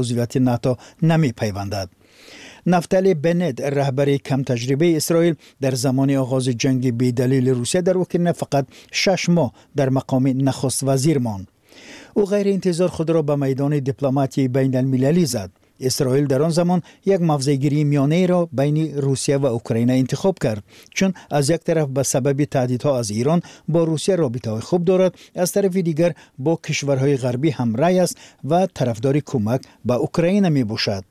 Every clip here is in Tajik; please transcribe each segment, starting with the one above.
Узвияти НАТО намепайвандад. Нафтали Беннет, раҳбари камтаҷрибаи Исроил, дар замони оғози ҷанги бедалили Русия дар Украина фақат 6 моҳ дар мақоми нахуствазир монд. Ӯ ғайриинтизор худро ба майдони дипломатияи байналмилалӣ зад. Исроил дар он замон як мавзеъгирии миёнаеро байни Русия ва Украина интихоб кард, чун аз як тараф ба сабаби таҳдидҳо аз Ирон бо Русия робитаҳои хуб дорад, аз тарафи дигар бо кишварҳои ғарбӣ ҳамрай аст ва тарафдори кӯмак ба Украина мебошад.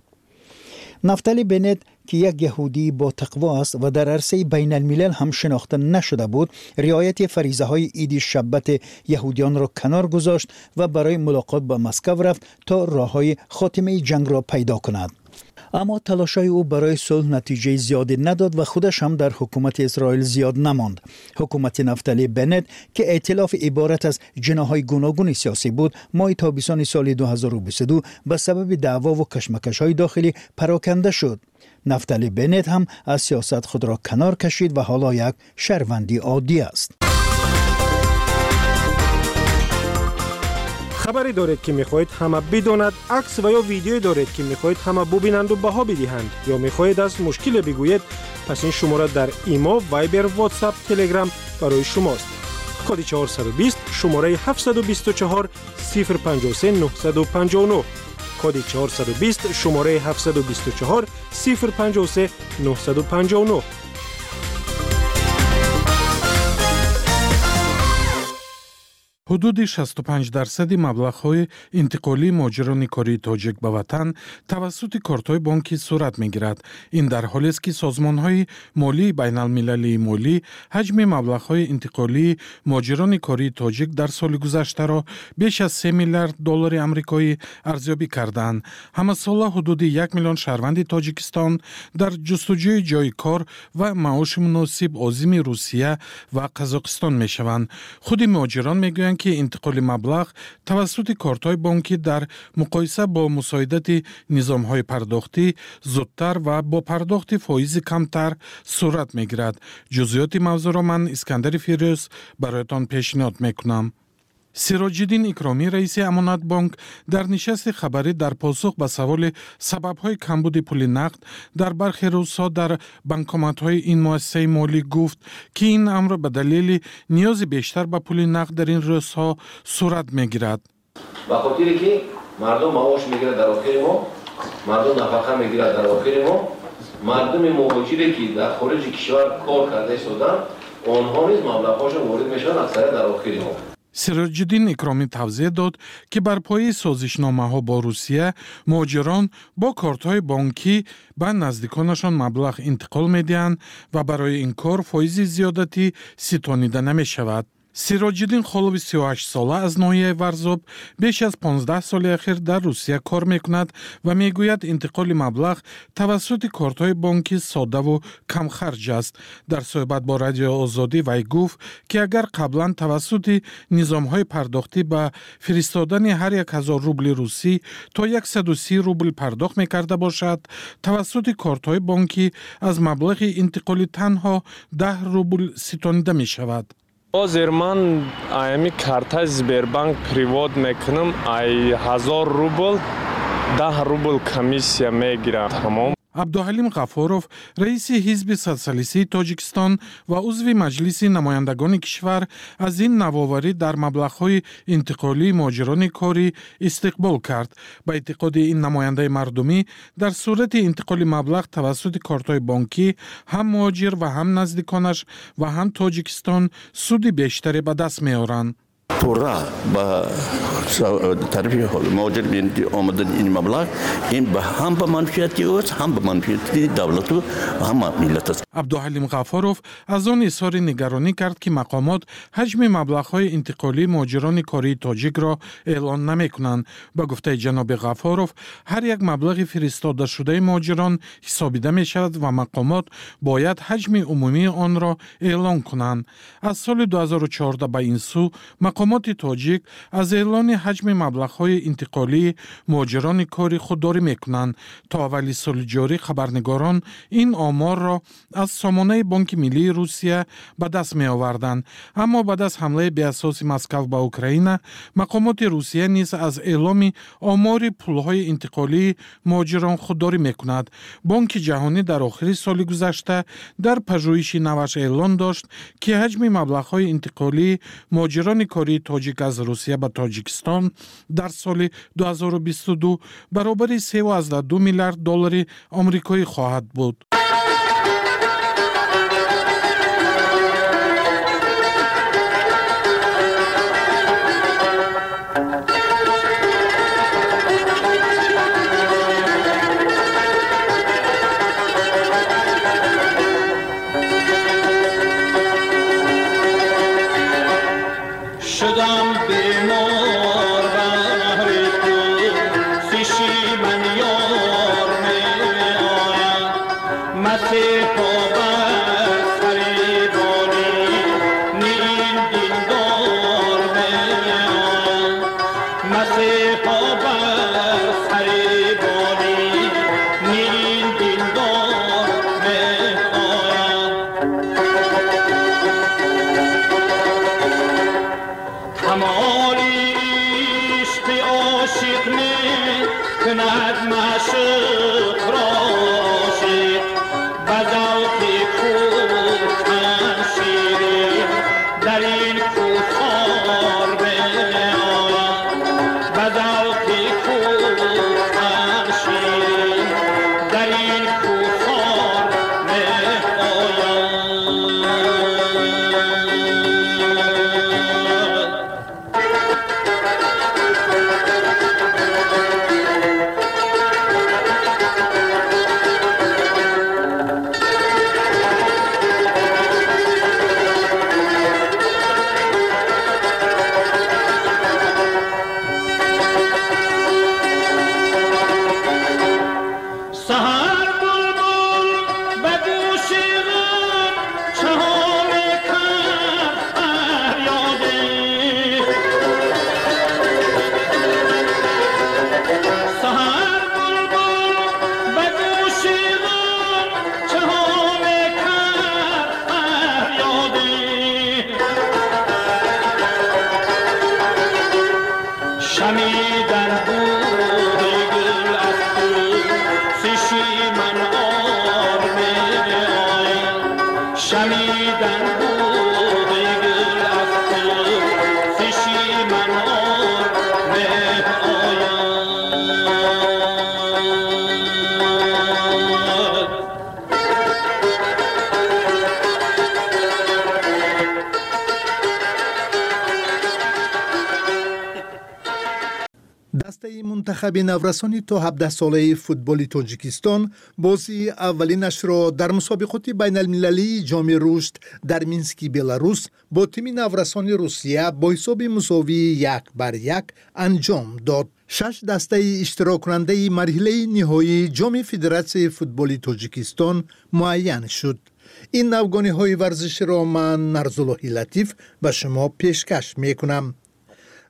Нафтали Бенет, ки як яҳудии ботақво аст ва дар арсаи байналмилал ҳам шинохта нашуда буд, риояти фаризаҳои иди шаббати яҳудиёнро канор гузошт ва барои мулоқот ба Москав рафт, то роҳҳои хотимаи ҷангро пайдо кунад. Аммо талошҳои ӯ барои сулҳ натиҷаи зиёде надод ва худаш ҳам дар ҳукумати Исроил зиёд намонд. Ҳукумати Нафтали Бенет, ки эътилофи иборат аз ҷиноҳҳои гуногуни сиёсӣ буд, моҳи тобистони соли 2022 ба сабаби даъвову кашмакашҳои дохилӣ пароканда шуд. Нафтали Бенет ҳам аз сиёсат худро канор кашид ва ҳоло як шаҳрванди оддӣ аст. Хабаре доред, ки мехоҳед ҳама бидонад, акс ва ё видеое доред, ки мехоҳед ҳама бубинанду баҳо бидиҳанд, ё мехоҳед аз мушкиле бигӯед, пас ин шумора дар Имо, Вайбер, Ватсап, Телеграм барои шумост. Коди 420, шумораи 724 053 959. Коди 420, шумораи 724 053 959. Ҳудуди 65 дарсади маблағҳои интиқолии муҳоҷирони кории тоҷик ба ватан тавассути кортҳои бонкӣ сурат мегирад. Ин дар ҳолест, ки созмонҳои молии байналмилалии молӣ ҳаҷми маблағҳои интиқолии муҳоҷирони кории тоҷик дар соли гузаштаро беш аз 3 миллиард доллари амрикоӣ арзёбӣ карданд. Ҳамасола ҳудуди 1 миллион шаҳрванди Тоҷикистон дар ҷустуҷӯи ҷойи кор ва маоши муносиб озими Русия ва Қазоқистон мешаванд. Худи муҳоҷирон мегӯянд, ки интиқоли маблағ тавассути кортҳои бонкӣ дар муқоиса бо мусоидати низомҳои пардохтӣ зудтар ва бо пардохти фоизи камтар сурат мегирад. Ҷузъиёти мавзӯъро ман, Искандари Фирӯз, бароятон пешниҳод мекунам. Сироҷиддин Икромӣ, раиси Амонатбонк, дар нишасти хабарӣ дар посух ба саволи сабабҳои камбуди пули нақд дар бархе рӯзҳо дар банкоматҳои ин муассисаи молӣ гуфт, ки ин амр ба далели ниёзи бештар ба пули нақд дар ин рӯзҳо сурат мегирад. Ба хотире ки мардум маош мегирад дар охири моҳ, мардум нафақа мегирад дар охири моҳ, мардуми муҳоҷире, ки дар хориҷи кишвар кор карда истоданд, онҳо низ маблағҳошон ворид мешаванд аксарият дар охири моҳ. Сироҷиддин Икромӣ тавзеҳ дод, ки бар пояи созишномаҳо бо Русия муҳоҷирон бо кортҳои бонкӣ ба наздиконашон маблағ интиқол медиҳанд ва барои ин кор фоизи зиёдатӣ ситонида намешавад. Сироҷиддин Холови 38-сола аз ноҳияи Варзоб беш аз 15 соли ахир дар Русия кор мекунад ва мегӯяд, интиқоли маблағ тавассути кортҳои бонкӣ соддаву камхарҷ аст. Дар суҳбат бо Радиои Озодӣ вай гуфт, ки агар қаблан тавассути низомҳои пардохтӣ ба фиристодани ҳар як ҳазор рубли русӣ то 130 рубл пардохт мекарда бошад, тавассути кортҳои бонкӣ аз маблағи интиқолӣ танҳо 10 рубл ситонида мешавад. Ҳозир ман аями картаи Сбербанк перевод мекунам, ай 1000 рубл 10 рубл комиссия мегирам, тамом. Абдуҳалим Ғафуров, раиси Ҳизби социалистии Тоҷикистон ва узви Маҷлиси намояндагони кишвар, аз ин навоварӣ дар маблағҳои интиқолии муҳоҷирони корӣ истиқбол кард. Ба эътиқоди ин намояндаи мардумӣ, дар сурати интиқоли маблағ тавассути кортҳои бонкӣ ҳам муҳоҷир ва ҳам наздиконаш ва ҳам Тоҷикистон суди бештаре ба даст меоранд. Пурра ба тарафи муҳоҷир омадани ин маблағ, ин ҳам ба манфиати ӯст, ҳам ба манфиати давлату ҳам миллат аст. Абдуҳалим Ғафуров аз он изҳори нигаронӣ кард, ки мақомот ҳаҷми маблағҳои интиқолии муҳоҷирони кории тоҷикро эълон намекунанд. Ба гуфтаи ҷаноби Ғафуров, ҳар як маблағи фиристодашудаи муҳоҷирон ҳисобида мешавад ва мақомот бояд ҳаҷми умумии онро эълон кунанд. Аз соли 2014 ба ин сӯ мақомоти Мақомоти тоҷик аз эълони ҳаҷми маблағҳои интиқолии муҳоҷирони корӣ худдорӣ мекунанд. То аввали соли ҷорӣ хабарнигорон ин оморро аз сомонаи Бонки Миллии Русия ба даст меоварданд. Аммо баъд аз ҳамлаи беасоси Москав ба Украина, мақомоти Русия низ аз эъломи омори пулҳои интиқолии муҳоҷирон худдорӣ мекунад. Бонки Ҷаҳонӣ дар охири соли гузашта дар пажӯҳиши наваш эълон дошт, ки ҳаҷми маблағҳои интиқолии муҳоҷирони кории тоҷик аз Русия ба Тоҷикистон дар соли 2022 баробари 3,2 миллиард доллари омрикоӣ хоҳад буд. شدم بیمار بهر تو، من یار می آید، مسیحا بر سر بانی نین دیندار می آید، مسیحا بر سر بانی نین دیندار می آید. کمال عشق عاشق می کند معشوق را عاشق، به ذوق کوهکن شیرین در این کوهسار می آید، به ذوق کوهکن شیرین در این کوهسار می آید. سحر بلبل به گوش غم چها میکرد فریاده، سحر بلبل به گوش غم چها میکرد فریاده، شنیدن بوی گل از تو من آر می آید، شنیدن بوی گل از تو من آر می آید. Дастаи мунтахаби наврасони то 17-солаи футболи Тоҷикистон бозии аввалинашро дар мусобиқоти байналмилалии Ҷоми Рушд дар Мински Беларус бо тими наврасони Русия бо ҳисоби мусовии 1-1 анҷом дод. Шаш дастаи иштироккунандаи марҳилаи ниҳоии Ҷоми Федератсияи футболи Тоҷикистон муайян шуд. Ин навгониҳои варзиширо ман, Нарзуллоҳи Латиф, ба шумо пешкаш мекунам.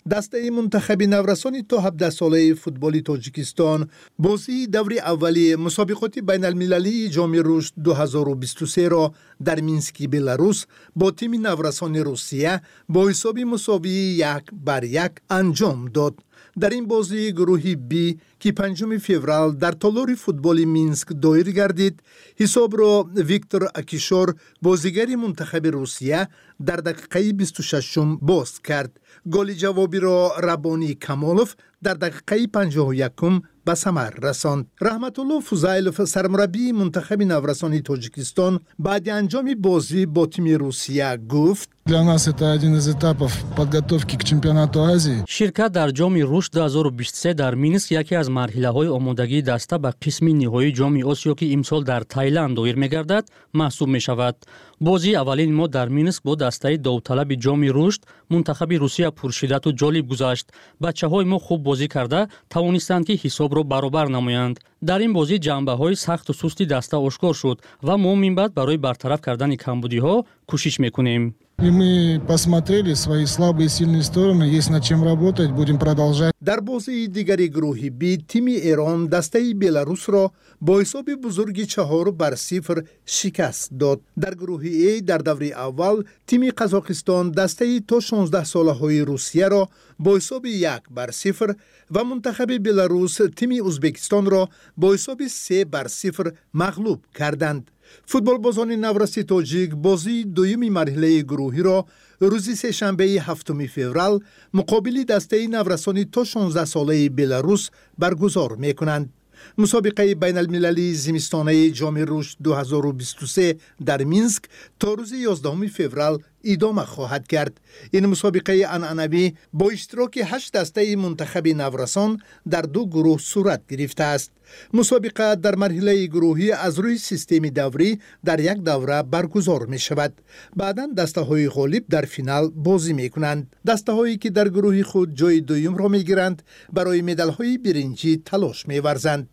Дастаи мунтахаби наврасони то 17-солаи футболи Тоҷикистон бозии даври аввали мусобиқоти байналмилалии Ҷоми Рушд 2023-ро дар Мински Беларус бо тими наврасони Русия бо ҳисоби мусовии 1-1 анҷом дод. Дар ин бозии гурӯҳи Б, ки 5 феврал дар толори футболи Минск доир гардид, ҳисобро Виктор Акишор, бозигари мунтахаби Русия, дар дақиқаи 26-ум боз кард. Голи ҷавобиро Рабонӣ Камолов дар дақиқаи 51-ум ба самар расонд. Раҳматулло Фузайлов, сармураббии мунтахаби наврасони Тоҷикистон, баъди анҷоми бозӣ бо тими Русия гуфт: Для нас это один из этапов подготовки к чемпионату Азии. Ширкат дар Ҷоми Рушд 2023 дар Минск яке аз марҳилаҳои омодагии даста ба қисми ниҳоии Ҷоми Осиё, ки имсол дар Тайланд доир мегардад, маҳсуб мешавад. Бозии аввалини мо дар Минск бо дастаи довталаби Ҷоми Рушд, мунтахаби Русия, пуршиддату ҷолиб гузашт. Бачаҳои мо хуб бозӣ карда тавонистанд, ки ҳисобро баробар намоянд. Дар ин бозӣ ҷанбаҳои сахту сусти даста ошкор шуд ва мо минбаъд барои бартараф кардани камбудиҳо кӯшиш мекунем. И мы посмотрели свои слабые и сильные стороны, есть над чем работать, будем продолжать. Дар бозии дигари гурӯҳи Б тими Эрон дастаи Беларусро бо ҳисоби бузурги 4-0 шикаст дод. Дар гурӯҳи Э дар даври аввал тими Қазоқистон дастаи то 16 солаҳои Русияро бо ҳисоби 1-0 ва мунтахаби Беларус тими Узбекистонро бо ҳисоби 3-0 мағлуб карданд. Футболбозони навраси тоҷик бозии дуюми марҳилаи гурӯҳиро рӯзи сешанбеи 7 феврал муқобили дастаи наврасони то 16 солаи Беларус баргузор мекунанд. Мусобиқаи байналмилалии зимистонаи Ҷоми рушд 2023 дар Минск то рӯзи 11 феврал идома хоҳад кард. Ин мусобиқаи анъанавӣ бо иштироки ҳашт дастаи мунтахаби наврасон дар ду гурӯҳ сурат гирифтааст. Мусобиқа дар марҳилаи гурӯҳӣ аз рӯи системи даврӣ дар як давра баргузор мешавад. Баъдан дастаҳои ғолиб дар финал бозӣ мекунанд. Дастаҳое ки дар гурӯҳи худ ҷои дуюмро мегиранд, барои медалҳои биринҷӣ талош меварзанд.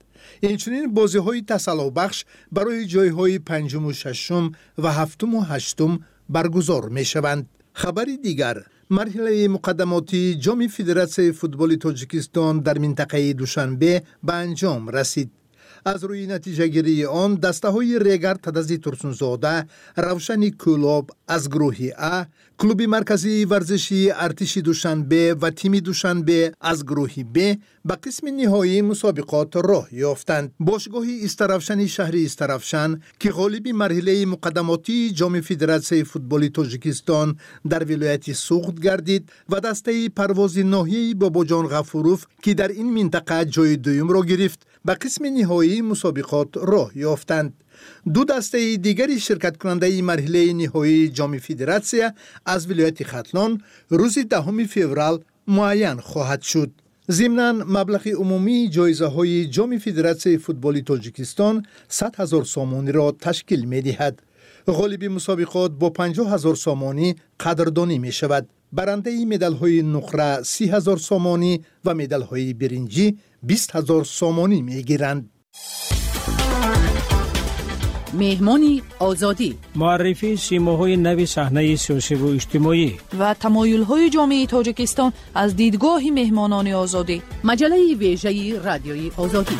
Инчунин бозиҳои тасаллобахш барои ҷойҳои панҷуму шашум ва ҳафтуму ҳаштум баргузор мешаванд. Хабари дигар: марҳилаи муқаддамотии Ҷоми Федератсияи футболи Тоҷикистон дар минтақаи Душанбе ба анҷом расид. Аз рӯи натиҷагирии он дастаҳои Регар Тадази Турсунзода, Равшани Кӯлоб аз гурӯҳи А, клуби марказии варзишии Артиши Душанбе ва тими Душанбе аз гурӯҳи Б ба қисми ниҳоии мусобиқот роҳ ёфтанд. Бошгоҳи Истаравшани шаҳри Истаравшан, ки ғолиби марҳилаи муқаддамотии Ҷоми Федератсияи футболи Тоҷикистон дар вилояти Суғд гардид, ва дастаи Парвози ноҳияи Бобоҷон Ғафуров, ки дар ин минтақа ҷои дуюмро гирифт, ба қисми ниҳоии мусобиқот роҳ ёфтанд. Ду дастаи дигари ширкаткунандаи марҳилаи ниҳоии Ҷоми Федератсия аз вилояти Хатлон рӯзи 10 феврал муайян хоҳад шуд. Зимнан, маблағи умумии ҷоизаҳои Ҷоми Федератсияи футболи Тоҷикистон 100 000 сомониро ташкил медиҳад. Ғолиби мусобиқот бо 50 000 сомонӣ қадрдонӣ мешавад. Барандаи медалҳои нуқра 30 000 сомонӣ ва медалҳои биринҷӣ 20 000 сомонӣ мегиранд. Меҳмони Озодӣ: муаррифии симоҳои нави саҳнаи сиёсиву иҷтимоӣ ва тамоюлҳои ҷомеаи Тоҷикистон аз дидгоҳи меҳмонони Озодӣ. Маҷаллаи вежаи Радиои Озодӣ.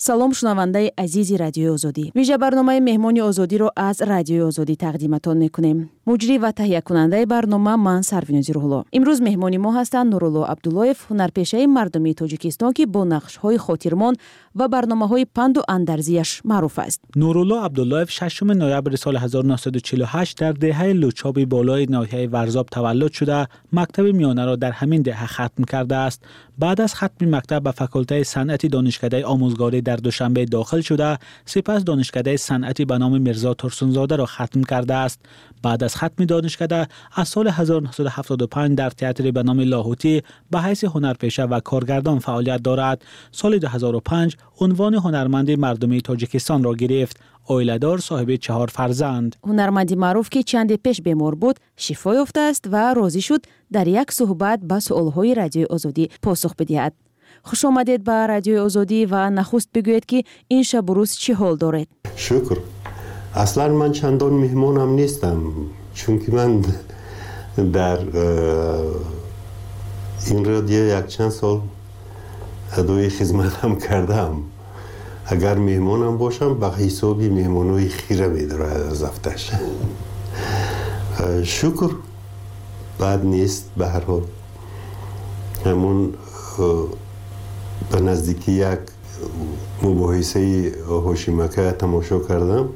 Салом, шунавандаи азизи Радиои Озодӣ. Вижа барномаи Меҳмони Озодиро аз Радиои Озодӣ тақдиматон мекунем. Муҷрӣ ва таҳиякунандаи барнома ман, Сарвинози Рӯҳулло. Имрӯз меҳмони мо ҳастанд Нурулло Абдуллоев, ҳунарпешаи мардумии Тоҷикистон, ки бо нақшҳои хотирмон ва барномаҳои панду андарзияш маъруф аст. Нурулло Абдуллоев 6 ноябри соли 1948 дар деҳаи Лучоби болои ноҳияи Варзоб таваллуд шуда, мактаби миёнаро дар ҳамин деҳа хатм кардааст. Баъд аз хатми мактаб ба факултаи санъати Донишкадаи омӯзгорӣ дар Душанбе дохил шуда, сипас Донишкадаи санъати ба номи Мирзо Турсунзодаро хатм кардааст. Баъд аз хатми донишкада аз соли 1975 дар театри ба номи Лоҳутӣ ба ҳайси ҳунарпеша ва коргардон фаъолият дорад. Соли 2005 унвони ҳунарманди мардумии Тоҷикистонро гирифт. Оиладор, соҳиби 4 фарзанд. Ҳунарманди маъруф, ки чанде пеш бемор буд, шифо ёфтааст ва розӣ шуд дар як суҳбат ба суолҳои Радиои Озодӣ посух бидиҳад. Хуш омадед ба Радиои Озодӣ ва нахуст бигӯед, ки ин шабу рӯз чӣ ҳол доред? Шукр. Аслан ман чандон меҳмонам нестам, чунки ман дар ин радио якчанд сол адои хизматам кардам. Агар меҳмонам бошам, ба ҳисоби меҳмонҳои хира медорад аз афташ. Шукр, бад нест. Ба ҳар ҳол, ҳамун ба наздикӣ як мубоҳисаи Ҳошимака тамошо кардам.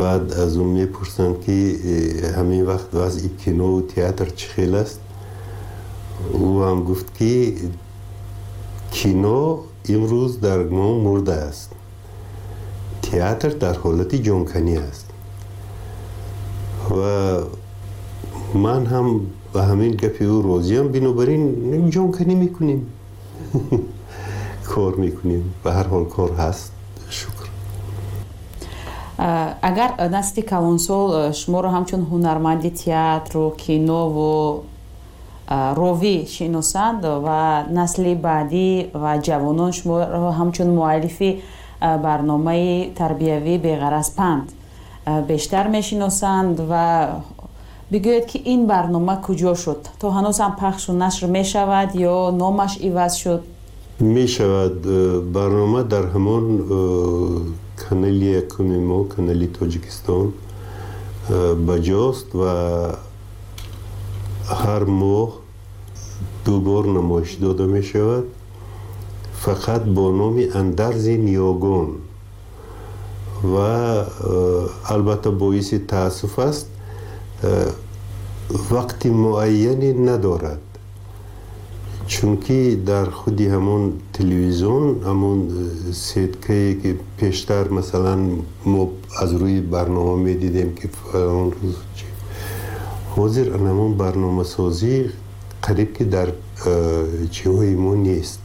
Баъд аз ӯ мепурсанд, ки ҳамин вақт вазъи кинову театр чӣ хел аст. Ӯ ҳам гуфт, ки кино имрӯз дар мо мурда аст, театр дар ҳолати ҷонканӣ аст. Ва ман ҳам ба ҳамин гапи ӯ розиям. Бинобар ин ҷонканӣ мекунем, кор мекунем. Ба ҳар ҳол, кор ҳаст, шукр. Агар насли калонсол шуморо ҳамчун ҳунарманди театру кинову ровӣ шиносанд ва насли баъдӣ ва ҷавонон шуморо ҳамчун муаллифи барномаи тарбиявӣ «Беғараз панд» бештар мешиносанд. Ва бигӯед, ки ин барнома куҷо шуд? То ҳанӯз ҳам пахшу нашр мешавад ё номаш иваз шуд? Мешавад. Барнома дар ҳамон канали якуми мо, канали Тоҷикистон, ба ҷост ва ҳар моҳ ду бор намоиш дода мешавад, фақат бо номи «Андарзи ниёгон». Ва албатта, боиси таассуф аст, вақти муайяне надорад, чунки дар худи ҳамон телевизион, ҳамон сеткае ки пештар, масалан, мо аз рӯи барнома медидем, ки фалон рӯз, ҳозир ҳамон барномасозӣ қариб ки дар чиҳои мо нест,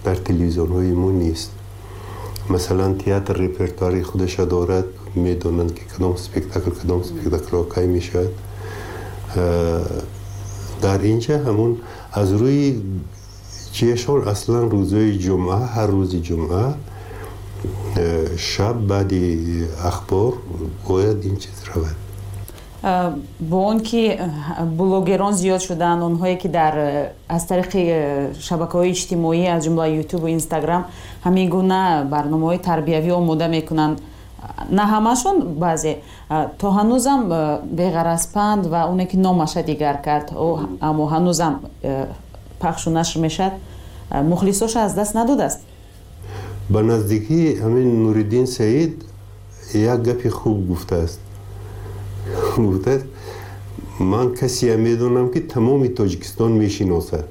дар телевизионҳои мо нест. Масалан, театр репертуари худаша дорад, медонанд, ки кадом спектакл, кадом спектаклҳо кай мешавад. Дар инҷа ҳамон аз рӯи чиешон, аслан рӯзҳои ҷумъа, ҳар рӯзи ҷумъа шаб баъди ахбор бояд ин чиз равад. Бо он ки блогерон зиёд шуданд, онҳое ки дар аз тариқи шабакаҳои иҷтимоӣ, аз ҷумла Ютубу Инстаграм, ҳамин гуна барномаҳои тарбиявӣ омода мекунанд, на ҳамашон, баъзе, то ҳанӯзам «Беғараз панд» ва оне ки номаша дигар кард, аммо ҳанӯзам пахшу нашр мешавад, мухлисоша аз даст надодааст? Ба наздикӣ ҳамин Нуриддин Саид як гапи хуб гуфтааст. Гуфтааст: «Ман касея медонам, ки тамоми Тоҷикистон мешиносад».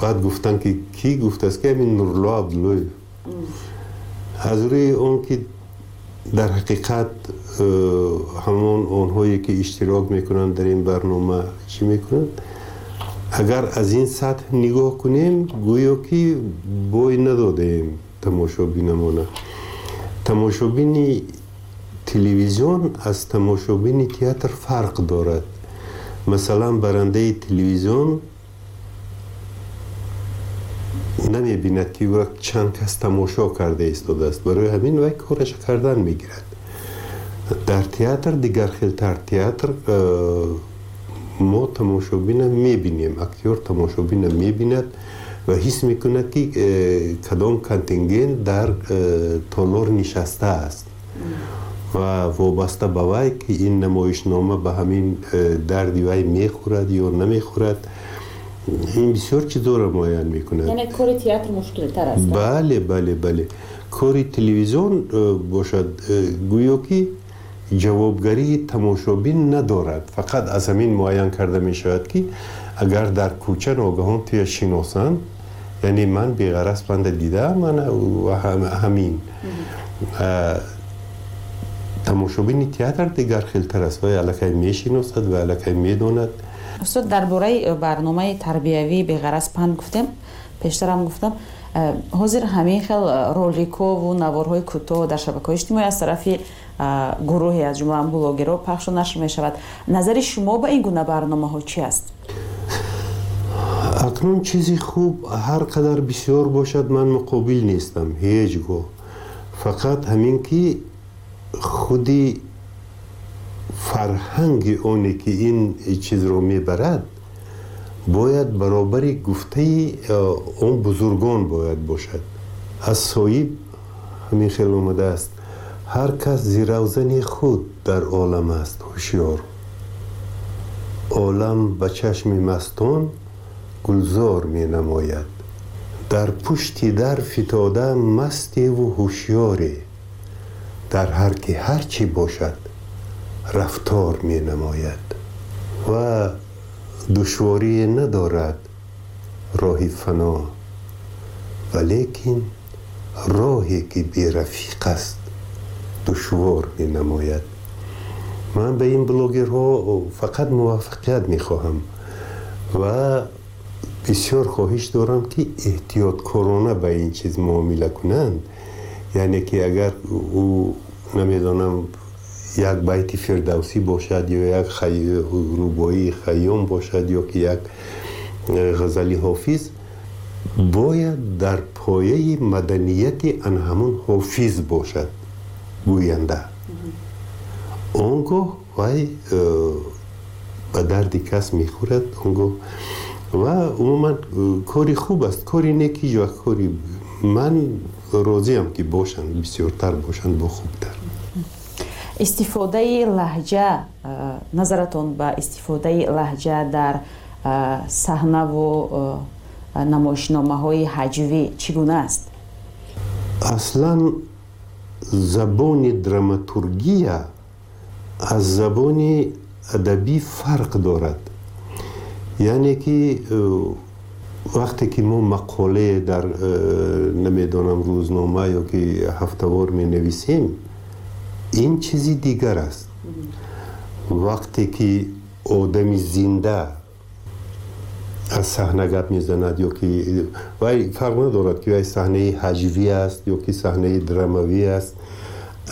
Баъд гуфтанд, ки кӣ? Гуфтааст, ки ҳамин Нурулло Абдуллоев. Аз рӯи он ки дар ҳақиқат ҳамон онҳое ки иштирок мекунанд дар ин барнома, чӣ мекунанд, агар аз ин сатҳ нигоҳ кунем, гӯё ки бой надодаем тамошобинамона. Тамошобини телевизион аз тамошобини театр фарқ дорад. Масалан, барандаи телевизион намебинад, ки ӯ чанд кас тамошо карда истодааст, барои ҳамин вай кораша кардан мегирад. Дар театр дигар хелтар. Театр мо тамошобина мебинем, актёр тамошобина мебинад ва ҳис мекунад, ки кадом контингент дар толор нишастааст ва вобаста ба вай, ки ин намоишнома ба ҳамин дарди вай мехӯрад ё намехӯрад, ин бисёр чизоро муайян мекунад. Яъне кори театр мушкилтар аст? Бале, кори телевизион бошад, гӯё ки ҷавобгарии тамошобин надорад. Фақат аз ҳамин муайян карда мешавад, ки агар дар кӯча ногаҳон туя шиносанд, яъне ман «Беғараз панда» дидаам ҳамин. Тамошобини театр дигар хелтар аст, вай аллакай мешиносад ва аллакай медонад. Устод, дар бораи барномаи тарбиявии «Беғараз панд» гуфтем. Пештарам гуфтам, ҳозир ҳамин хел роликову наворҳои кӯтоҳ дар шабакаҳои иҷтимоӣ аз тарафи гурӯҳе, аз ҷумла блогерҳо, пахшу нашр мешавад. Назари шумо ба ин гуна барномаҳо чӣ аст? Акнун чизи хуб ҳар қадар бисёр бошад, ман муқобил нестам ҳеҷ гоҳ. Фақат ҳамин ки худи фарҳанги оне ки ин чизро мебарад, бояд баробари гуфтаи он бузургон бояд бошад. Аз соҳиб ҳамин хел омадааст: «Ҳар кас зи равзани худ дар олам аст ҳушёр, олам ба чашми мастон гулзор менамояд. Дар пушти дар фитода мастеву ҳушёре, дар ҳар ки ҳар чӣ бошад, рафтор менамояд. Ва душворие надорад роҳи фано, валекин роҳе ки берафиқ аст, душвор менамояд». Ман ба ин блогерҳо фақат муваффақият мехоҳам ва бисёр хоҳиш дорам, ки эҳтиёткорона ба ин чиз муомила кунанд. Яъне ки агар ӯ, намедонам, Як байти Фирдавсӣ бошад ё як рубоии Хайём бошад ё ки як ғазали Ҳофиз, бояд дар пояи маданияти ан ҳамун ҳофиз бошад гӯянда. Он гоҳ вай ба дарди кас мехӯрад. Он гоҳ ва умуман кори хуб аст, кори нек ҳеҷ вақт кори ман розиам ки бошанд, бисёртар бошанд, бо хубтар. Истифодаи лаҳҷа, назаратон ба истифодаи лаҳҷа дар саҳнаву намоишномаҳои ҳаҷвӣ чӣ гуна аст? Аслан забони драматургия аз забони адабӣ фарқ дорад. Яъне ки вақте ки мо мақолае дар намедонам рӯзнома ё ки ҳафтавор менависем, ин чизи дигар аст. Вақте ки одами зинда аз саҳна гап мезанад ё ки вай фарқ надорад ки вай саҳнаи ҳаҷвӣ аст ё ки саҳнаи драмавӣ аст,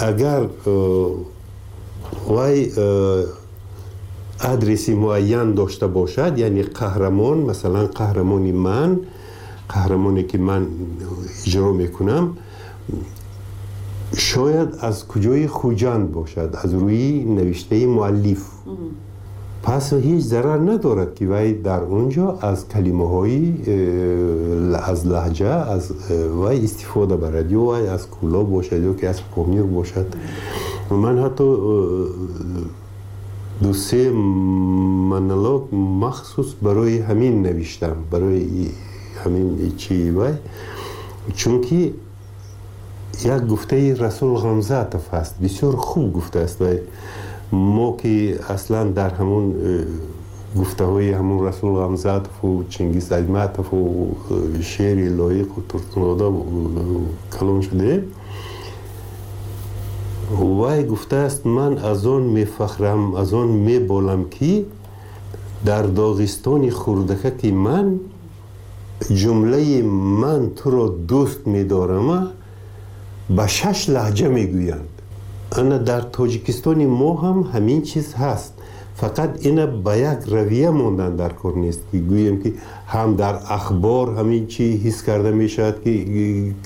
агар вай адреси муайян дошта бошад, яъне қаҳрамон, масалан қаҳрамони ман, қаҳрамоне ки ман иҷро мекунам, шояд аз куҷои Хуҷанд бошад, аз рӯи навиштаи муаллиф, пас ҳеҷ зарар надорад ки вай дар он ҷо аз калимаҳои аз лаҳҷа аз вай истифода барад, ё вай аз Кӯлоб бошад ё ки аз Помир бошад. Ман ҳатто ду-се монолог махсус барои ҳамин навиштам, барои ҳамин чи вай, чунки як гуфтаи Расул Ғамзатов ҳаст, бисёр хуб гуфтааст вай. Мо ки аслан дар ҳамун гуфтаҳои ҳамун Расул Ғамзатову Чингиз Айтматову Шери Лоиқу Турсунзода калон шудаем, вай гуфтааст: ман аз он мефахрам, аз он меболам ки дар Доғистони хурдакаки ман ҷумлаи ман туро дӯст медорама ба 6 лаҳҷа мегӯянд. Ана дар Тоҷикистони мо ҳам ҳамин чиз ҳаст, фақат ина ба як равия мондан дар кор нест ки гӯем ки ҳам дар ахбор ҳамин чи ҳис карда мешавад ки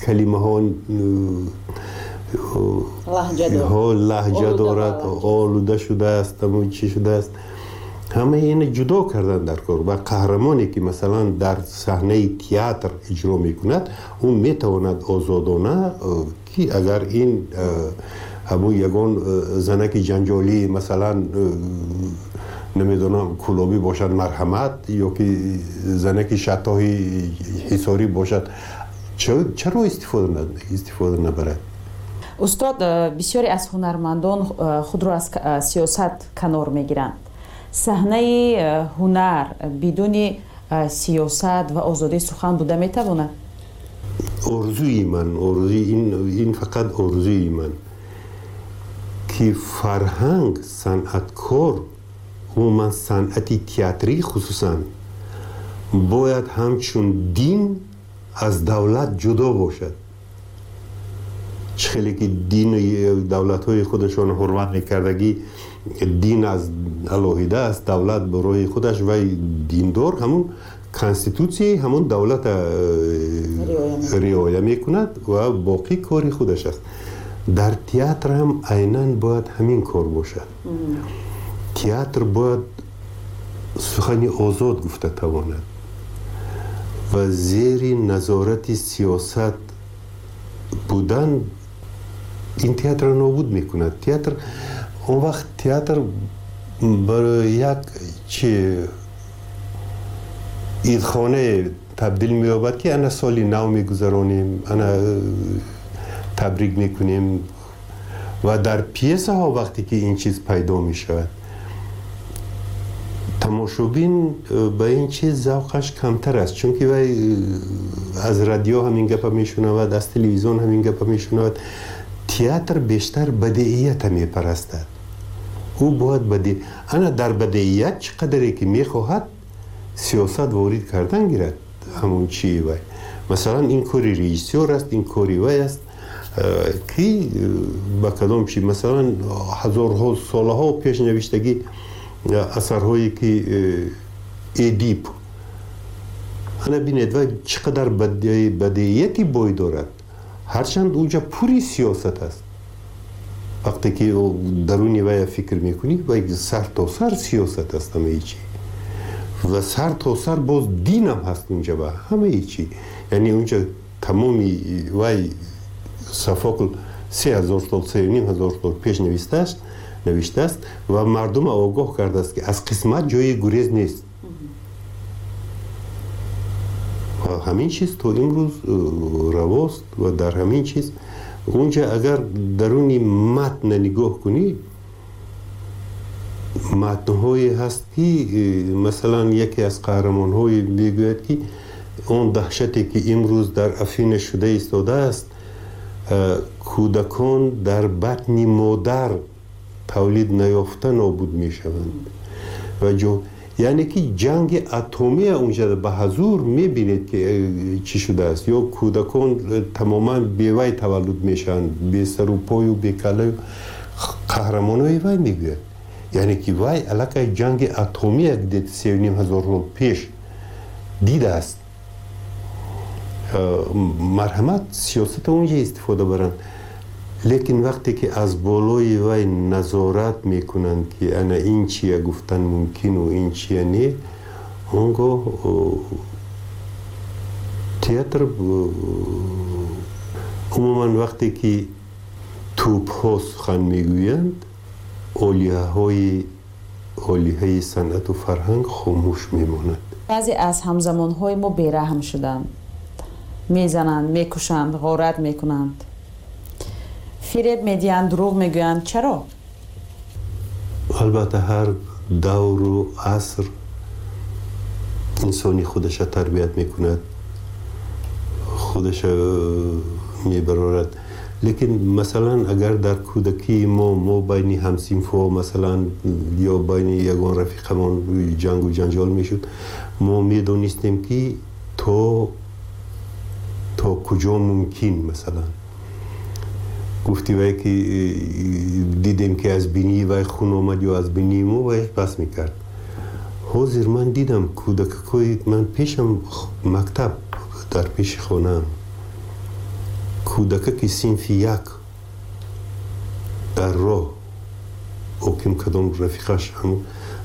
калимаҳо лаҳҷа дорад, олуда шудааст, ҳамон чи шудааст. Ҳамаи ина ҷудо кардан дар кор. Ва қаҳрамоне ки масалан дар саҳнаи театр иҷро мекунад, ӯ метавонад озодона ки агар ин ҳамун ягон занаки ҷанҷолӣ масалан намедонам кӯлобӣ бошад, марҳамат, ё ки занаки шаттоҳи ҳисорӣ бошад, чаро истифода набарад? Устод, бисёре аз ҳунармандон худро аз сиёсат канор мегиранд. Саҳнаи ҳунар бидуни сиёсат ва озодии сухан буда метавонад? Орзуи ман, орзуи ин фақат орзуи ман ки фарҳанг, санъаткор, умуман санъати театрӣ хусусан бояд ҳамчун дин аз давлат ҷудо бошад. Чӣ хеле ки дину давлатҳои худашон ҳурмат мекардагӣ, дин аз алоҳида аст, давлат барои худаш, вай диндор ҳамун конститутсияи ҳамун давлата риоя мекунад ва боқӣ кори худаш аст. Дар театр ҳам айнан бояд ҳамин кор бошад. Театр бояд сухани озод гуфта тавонад ва зери назорати сиёсат будан ин театрро нобуд мекунад. Театр он вақт театр барои як чи идхонае табдил меёбад ки ана соли нав мегузаронем, ана табрик мекунем. Ва дар пьесаҳо вақте ки ин чиз пайдо мешавад, тамошобин ба ин чиз завқаш камтар аст, чунки вай аз радио ҳамин гапа мешунавад, аз телевизион ҳамин гапа мешунавад. Театр бештар бадеията мепарастад. Ӯ бояд ана дар бадеият чӣ қадаре ки мехоҳад сиёсат ворид кардан гирад, ҳамон чии вай. Масалан, ин кори режиссёр аст, ин кори вай аст. Ки ба кадом чи, масалан, ҳазорҳо солаҳо пеш навиштагӣ асарҳое ки Эдип, ана бинед, ва чӣ қадар бадеияти бой дорад, ҳарчанд унҷа пури сиёсат аст. Вақте ки даруни вая фикр мекунӣ, вай сар то сар сиёсат аст ҳамаи чи, ва сар то сар боз динам ҳаст унҷа ва ҳамаи чи. Яъне унҷа тамоми вай Софокл 3000 сол, 3500 сол пеш навиштааст ва мардума огоҳ кардааст, ки аз қисмат ҷои гурез нест. Ва ҳамин чиз то имрӯз равост. Ва дар ҳамин чиз унҷа агар даруни матна нигоҳ кунӣ, матнҳое ҳаст, ки масалан, яке аз қаҳрамонҳое мегӯяд, ки он даҳшате, ки имрӯз дар Афина шуда истодааст, кӯдакон дар батни модар тавлид наёфта нобуд мешаванд. Ва яъне ки ҷанги атомия унҷа ба ҳазур мебинед, ки чӣ шудааст, ё кӯдакон тамоман бевай таваллуд мешаванд, бесару пою бекалаю. Қаҳрамонои вай мегӯяд, яъне ки вай аллакай ҷанги атомия 3500 сол пеш дидааст. Марҳамат, сиёсата унҷа истифода баранд, лекин вақте ки аз болои вай назорат мекунанд, ки ана ин чия гуфтан мумкину ин чия не, он гоҳ театр умуман, вақте ки тӯбҳо сухан мегӯянд, олиҳаҳои олиҳаи санъату фарҳанг хомӯш мемонад. Баъзе аз ҳамзамонҳои мо бераҳм шуданд, мезананд, мекушанд, ғорат мекунанд, фиреб медиҳанд, дурӯғ мегӯянд. Чаро? Албатта, ҳар давру аср инсони худаша тарбият мекунад, худаша мебарорад. Лекин масалан, агар дар кӯдакии мо байни ҳамсинфҳо, масалан, ё байни ягон рафиқамон ҷангу ҷанҷол мешуд, мо медонистем, ки то куҷо мумкин. Масалан, гуфти вай, ки дидем, ки аз бинии вай хун омад ё аз бинии мо, вай бас мекард. Ҳозир ман дидам кӯдакакои ман, пешам мактаб дар пеши хонаам, кӯдакаки синфи як дар роҳ оким кадом рафиқаш,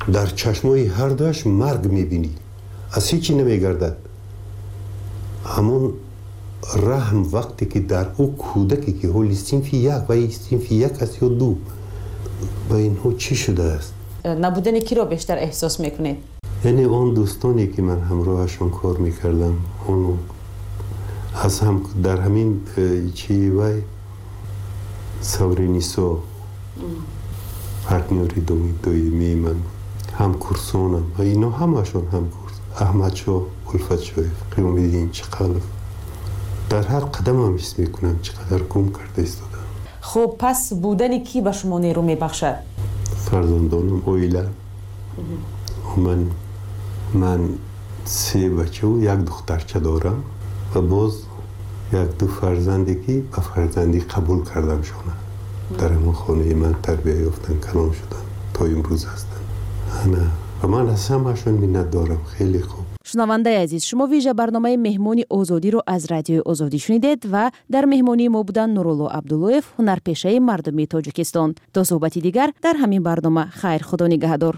дар чашмои ҳардуаш марг мебинӣ, аз ҳечи намегардад. Ҳамон раҳм вақте ки дар ӯ кӯдаке, ки ҳоли синфи як, вай синфи як аст ё ду, ба инҳо чӣ шудааст? Набудани киро бештар эҳсос мекунед? Яъне он дӯстоне, ки ман ҳамроҳашон кор мекардам, он аз ҳам дар ҳамин чи вай Савринисо партнёри доимии ман, ҳамкурсонам ва ино ҳамашон ҳамкурс, Аҳмадшоҳ Улфатшоев, Қиёмиддин Чиқалов, дар ҳар қадамам ҳис мекунам, чӣ қадар гум карда истодам. Хуб, пас будани кӣ ба шумо нерӯ мебахшад? Фарзандонам, оила. Ман се бачаву як духтарча дорам ва боз як-ду фарзанде, ки ба фарзандӣ қабул кардам шона, дар ҳамон хонаи ман тарбия ёфтан, калон шуданд, то имрӯз ҳастанд. Ана, ва ман аз ҳамаашон миннат дорам, хеле хуб. Шунавандаи азиз, шумо вижа барномаи «Меҳмони Озодиро» аз Радиои Озодӣ шунидед ва дар меҳмонии мо буданд Нурулло Абдуллоев, ҳунарпешаи мардумии Тоҷикистон. То суҳбати дигар дар ҳамин барнома, хайр, Худо нигаҳдор.